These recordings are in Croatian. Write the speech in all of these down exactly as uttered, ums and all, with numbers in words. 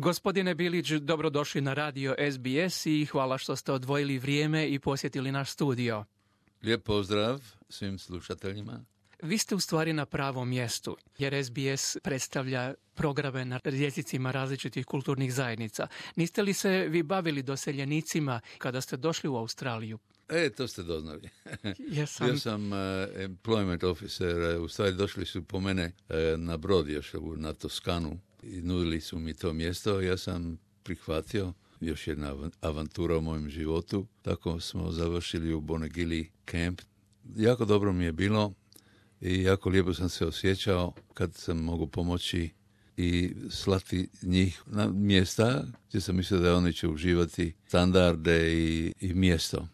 Gospodine Bilić, dobrodošli na radio S B S i hvala što ste odvojili vrijeme i posjetili naš studio. Lijep pozdrav svim slušateljima. Vi ste u stvari na pravom mjestu, jer S B S predstavlja programe na jezicima različitih kulturnih zajednica. Niste li se vi bavili doseljenicima kada ste došli u Australiju? E, to ste doznali. Jesam. Bio sam uh, employment officer, u stvari došli su po mene uh, na brod još na Toskanu i nudili su mi to mjesto. Ja sam prihvatio, još jedna avantura u mojem životu. Tako smo završili u Bonegili camp. Jako dobro mi je bilo i jako lijepo sam se osjećao kad sam mogu pomoći i slati njih na mjesta gdje sam mislio da oni će uživati standarde i, i mjesto.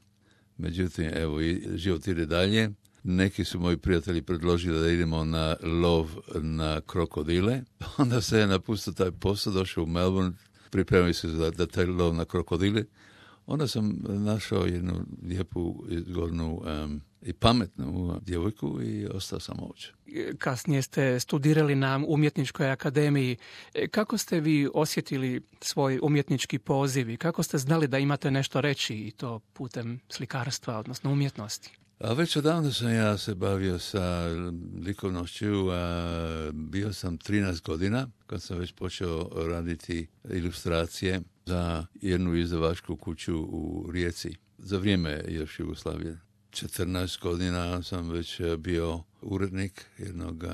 Međutim, evo, i život ide dalje. Neki su moji prijatelji predložili da idemo na lov na krokodile. Onda se je napustio taj posao, došao u Melbourne, pripremio se za da taj lov na krokodile. Onda sam našao jednu lijepu, izgodnu um, i pametnu djevojku i ostao sam ovdje. Kasnije ste studirali na umjetničkoj akademiji. Kako ste vi osjetili svoj umjetnički poziv i kako ste znali da imate nešto reći i to putem slikarstva, odnosno umjetnosti? A već odavno sam ja se bavio sa likovnošću, a bio sam trinaest godina kad sam već počeo raditi ilustracije za jednu izdavačku kuću u Rijeci. Za vrijeme još Jugoslavije. četrnaest godina sam već bio urednik jednog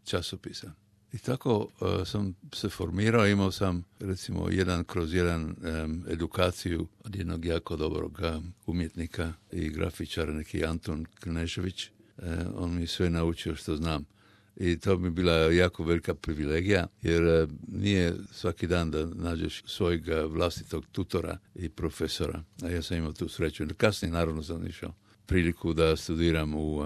časopisa. I tako uh, sam se formirao, imao sam recimo jedan kroz jedan um, edukaciju od jednog jako dobrog um, umjetnika i grafičara, neki Anton Knežević. Uh, on mi sve naučio što znam. I to bi bila jako velika privilegija, jer uh, nije svaki dan da nađeš svojeg vlastitog tutora i profesora. A ja sam imao tu sreću. Kasnije naravno sam išao priliku da studiram u uh,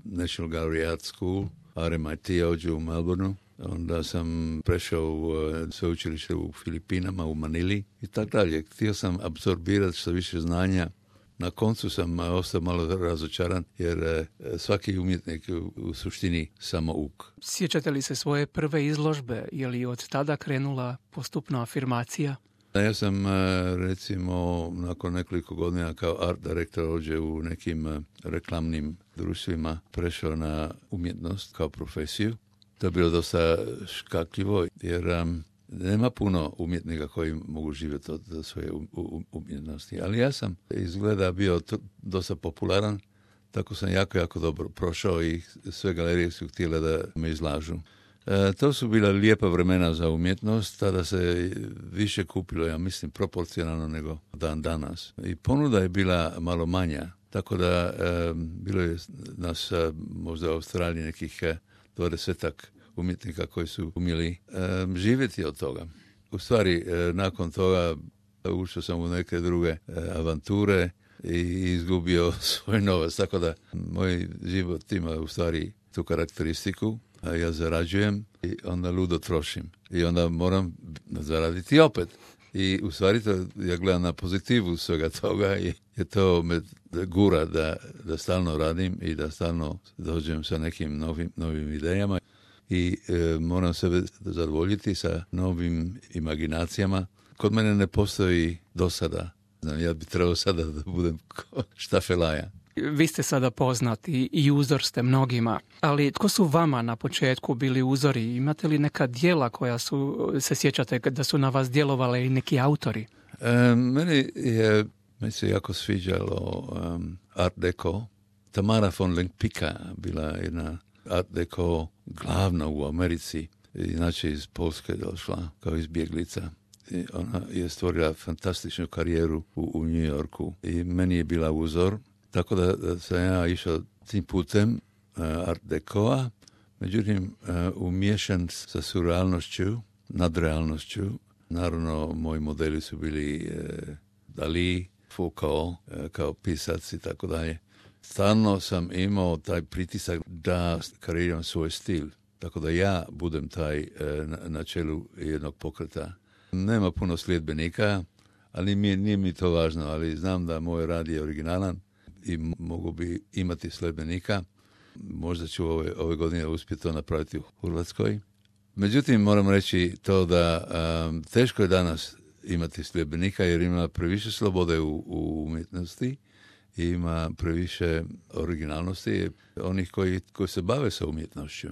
National Gallery Art School, R M I T ovdje u Melbourneu. Onda sam prešao u uh, sveučilište u Filipinama, u Manili i tako dalje. Htio sam apsorbirati što više znanja. Na koncu sam uh, ostao malo razočaran, jer uh, svaki umjetnik u, u suštini samo uk. Sjećate li se svoje prve izložbe? Je li od tada krenula postupna afirmacija? Ja sam, recimo, nakon nekoliko godina kao art direktor ovdje u nekim reklamnim društvima prešao na umjetnost kao profesiju. To je bilo dosta škakljivo, jer um, nema puno umjetnika koji mogu živjeti od svoje umjetnosti. Ali ja sam izgleda bio to, dosta popularan, tako sam jako, jako dobro prošao i sve galerije su htjele da me izlažu. E, to su bila lijepa vremena za umjetnost, tada se više kupilo, ja mislim, proporcionalno nego dan danas. I ponuda je bila malo manja, tako da e, bilo je nas e, možda u Australiji nekih e, dvadesetak umjetnika koji su umjeli e, živjeti od toga. U stvari, e, nakon toga ušao sam u neke druge e, avanture i izgubio svoj novac, tako da moj život ima u stvari tu karakteristiku. Ja zarađujem i onda ludo trošim. I onda moram zaraditi opet. I u stvari to ja gledam na pozitivu svega toga i je to me gura da, da stalno radim i da stalno dođem sa nekim novim, novim idejama. I e, moram sebe zadovoljiti sa novim imaginacijama. Kod mene ne postoji dosada. Znam, ja bi trebao sada da budem štafelaja. Vi ste sada poznati i uzor ste mnogima, ali tko su vama na početku bili uzori? Imate li neka djela koja su, se sjećate da su na vas djelovale i neki autori? E, meni je, meni se jako sviđalo um, Art Deco. Tamara von Lempicka bila jedna Art Deco glavna u Americi, inače iz Polske došla kao izbjeglica. I ona je stvorila fantastičnu karijeru u, u New Yorku i meni je bila uzor. Tako da, da sam ja išao tim putem uh, Art Decoa, međutim uh, umiješan sa surrealnošću, nadrealnošću. Naravno, moji modeli su bili uh, Dali, Foucault, uh, kao pisac i tako dalje. Stalno sam imao taj pritisak da kreiram svoj stil, tako da ja budem taj uh, na, na čelu jednog pokreta. Nema puno sljedbenika, ali mi, nije mi to važno, ali znam da moj rad je originalan i mogu bi imati sljedbenika. Možda ću ove, ove godine uspjeti to napraviti u Hrvatskoj. Međutim, moram reći to da um, teško je danas imati sljedbenika jer ima previše slobode u, u umjetnosti, ima previše originalnosti onih koji, koji se bave sa umjetnošću.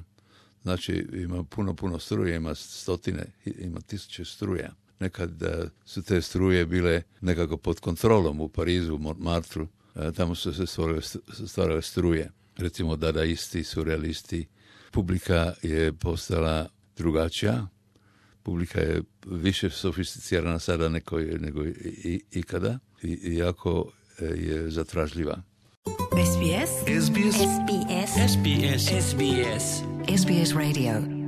Znači, ima puno, puno struje, ima stotine, ima tisuće struja. Nekad uh, su te struje bile nekako pod kontrolom u Parizu, u Montmartru. Uh, tamo su se stvarale, stvarale struje. Recimo, dadaisti, surrealisti. Publika je postala drugačija. Publika je više sofisticirana sada nego, nego i, ikada i, i jako je zatražljiva. S B S S B S S B S S B S S B S S B S Radio.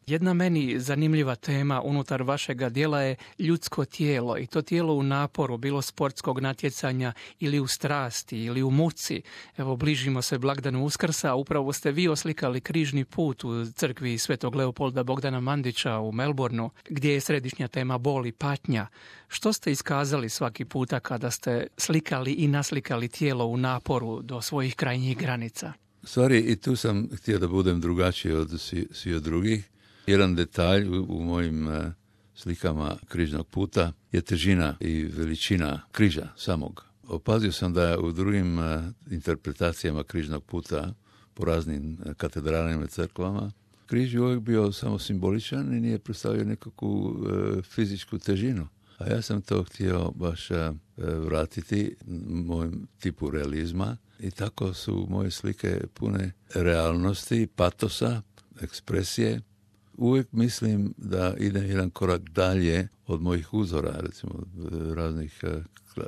Jedna meni zanimljiva tema unutar vašega djela je ljudsko tijelo i to tijelo u naporu, bilo sportskog natjecanja ili u strasti ili u muci. Evo, bližimo se blagdanu Uskrsa, a upravo ste vi oslikali križni put u crkvi Svetog Leopolda Bogdana Mandića u Melbourneu, gdje je središnja tema bol i patnja. Što ste iskazali svaki puta kada ste slikali i naslikali tijelo u naporu do svojih krajnjih granica? Stvari, i tu sam htio da budem drugačiji od svi, svi od drugih. Jedan detalj u, u mojim uh, slikama križnog puta je težina i veličina križa samog. Opazio sam da u drugim uh, interpretacijama križnog puta po raznim uh, katedralima i crkvama križ je uvijek bio samo simboličan i nije predstavio nekakvu uh, fizičku težinu. A ja sam to htio baš uh, vratiti mojem tipu realizma i tako su moje slike pune realnosti, patosa, ekspresije. Uvijek mislim da idem jedan korak dalje od mojih uzora, recimo raznih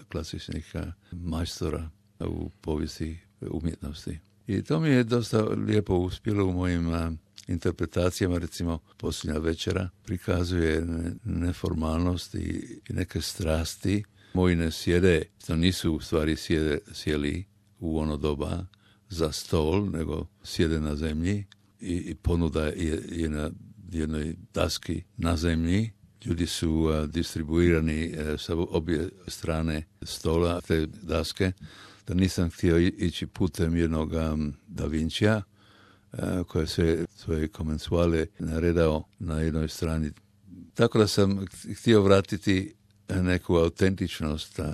klasičnih majstora u povijesti umjetnosti. I to mi je dosta lijepo uspjelo u mojim interpretacijama, recimo Posljednja večera prikazuje neformalnost i neke strasti. Moji ne sjede, to nisu u stvari sjede, sjeli u ono doba za stol, nego sjede na zemlji i, i ponuda je, je na jednoj daski na zemlji. Ljudi su uh, distribuirani uh, sa obje strane stola te daske, da nisam htio ići putem jednog um, Da Vincija, uh, koje se svoje komensuale naredao na jednoj strani. Tako da sam htio vratiti neku autentičnost uh,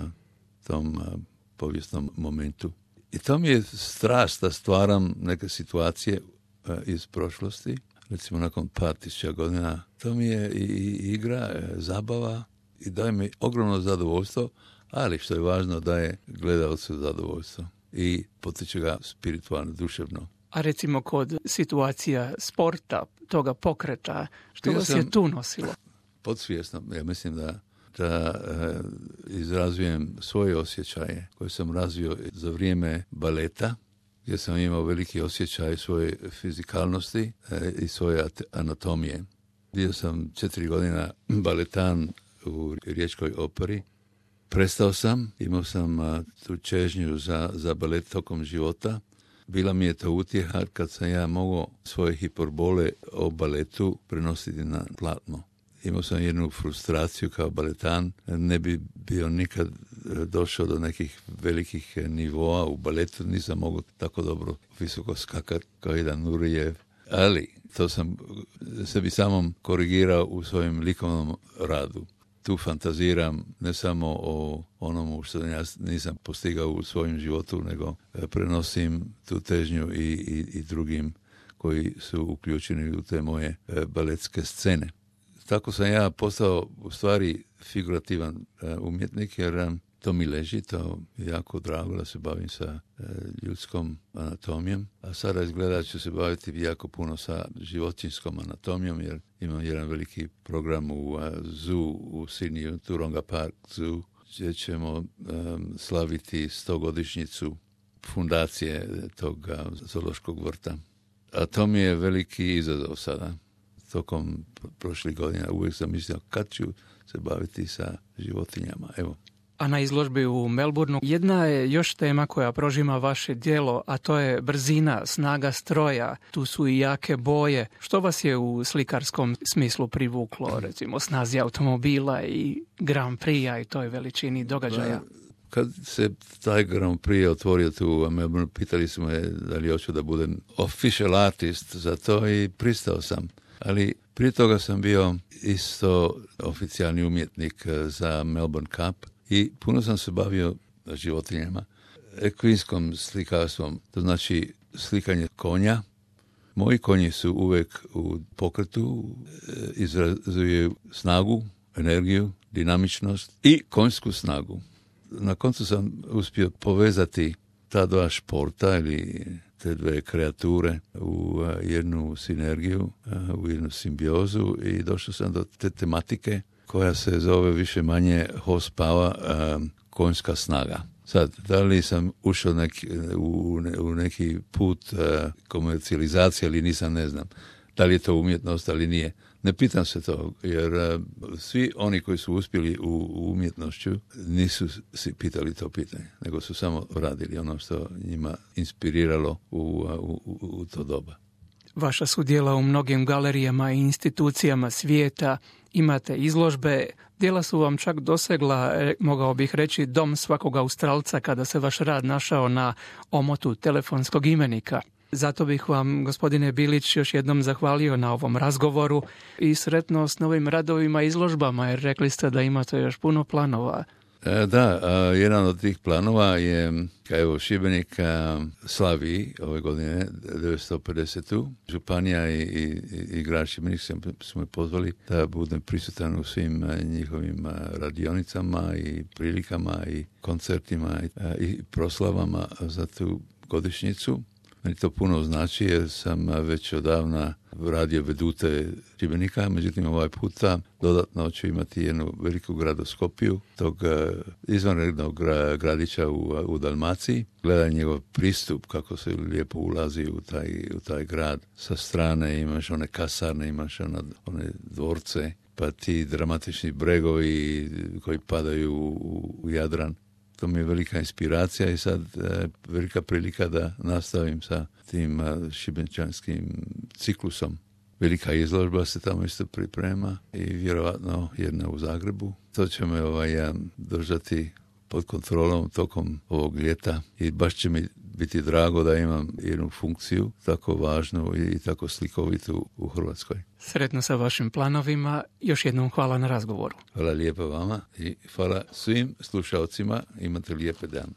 tom uh, povijesnom momentu. I to mi je strast da stvaram neke situacije uh, iz prošlosti. Recimo nakon par tisuća godina, to mi je i, i igra, e, zabava i daje mi ogromno zadovoljstvo, ali što je važno daje gledalcu zadovoljstvo i potiče ga spiritualno, duševno. A recimo kod situacija sporta, toga pokreta, što vas je tu nosilo? Podsvjesno, ja mislim da, da e, izrazujem svoje osjećaje koje sam razvio za vrijeme baleta, gdje sam imao veliki osjećaj svoje fizikalnosti e, i svoje anatomije. Bio sam četiri godina baletan u Riječkoj operi. Prestao sam, imao sam a, tu čežnju za, za balet tokom života. Bila mi je to utjeha kad sam ja mogao svoje hiperbole o baletu prenositi na platno. Imao sam jednu frustraciju kao baletan, ne bi bio nikad došao do nekih velikih nivoa u baletu, nisam mogao tako dobro visoko skakati kao jedan Nurijev, ali to sam sebi samom korigirao u svojem likovnom radu. Tu fantaziram ne samo o onomu što ja nisam postigao u svojem životu, nego prenosim tu težnju i, i, i drugim koji su uključeni u te moje baletske scene. Tako sam ja postao u stvari figurativan uh, umjetnik, jer um, to mi leži, to je jako drago da se bavim sa uh, ljudskom anatomijom, a sada izgleda ću se baviti jako puno sa životinjskom anatomijom, jer imam jedan veliki program u uh, zoo u Sydneyu, Taronga Park Zoo, gdje ćemo um, slaviti stogodišnjicu fundacije tog uh, zoološkog vrta. A to mi je veliki izazov sada. Tokom prošlih godina uvijek sam mislio kad ću se baviti sa životinjama. Evo. A na izložbi u Melbourneu jedna je još tema koja prožima vaše djelo, a to je brzina, snaga stroja. Tu su i jake boje. Što vas je u slikarskom smislu privuklo, recimo snazi automobila i Grand Prix-a i toj veličini događaja? kad se taj Grand Prix otvorio tu u Melbourne, pitali smo je da li hoću da budem official artist za to i pristao sam. Ali prije toga sam bio isto oficijalni umjetnik za Melbourne Cup i puno sam se bavio životinjama, ekvinskom slikarstvom, to znači slikanje konja. Moji konji su uvijek u pokretu, izrazuju snagu, energiju, dinamičnost i konjsku snagu. Na koncu sam uspio povezati ta dva športa ili te dve kreature u jednu sinergiju, u jednu simbiozu i došao sam do te tematike koja se zove više manje horsepower, konjska snaga. Sad, da li sam ušao neki, u, u neki put uh, komercijalizacije ili nisam, ne znam. Da li je to umjetnost, ali nije. Ne pitam se to, jer uh, svi oni koji su uspjeli u, u umjetnošću nisu si pitali to pitanje, nego su samo radili ono što njima inspiriralo u, u, u, u to doba. Vaša su djela u mnogim galerijama i institucijama svijeta, imate izložbe, djela su vam čak dosegla, mogao bih reći, dom svakog Australca kada se vaš rad našao na omotu telefonskog imenika. Zato bih vam, gospodine Bilić, još jednom zahvalio na ovom razgovoru i sretno s novim radovima i izložbama, jer rekli ste da imate još puno planova. Da, jedan od tih planova je, evo, Šibenik slavi ove godine devetsto pedesetu Županija i, i, i grad Šibenik su me pozvali da budem prisutan u svim njihovim radionicama i prilikama i koncertima i, i proslavama za tu godišnjicu. Meni to puno znači jer sam već odavna radio vedute Šibenika, međutim ovaj puta dodatno ću imati jednu veliku gradoskopiju tog izvanrednog gradića u, u Dalmaciji. Gledaj njegov pristup, kako se lijepo ulazi u taj, u taj grad. Sa strane imaš one kasarne, imaš one, one dvorce, pa ti dramatični bregovi koji padaju u, u Jadran. To mi je velika inspiracija i sad e, velika prilika da nastavim sa tim e, šibenčanskim ciklusom. Velika izložba se tamo isto priprema i vjerovatno jedna u Zagrebu. To će me ovaj, držati pod kontrolom tokom ovog ljeta i baš će mi biti drago da imam jednu funkciju tako važnu i tako slikovitu u Hrvatskoj. Sretno sa vašim planovima. Još jednom hvala na razgovoru. Hvala lijepo vama i hvala svim slušalcima. Imate lijepe dan.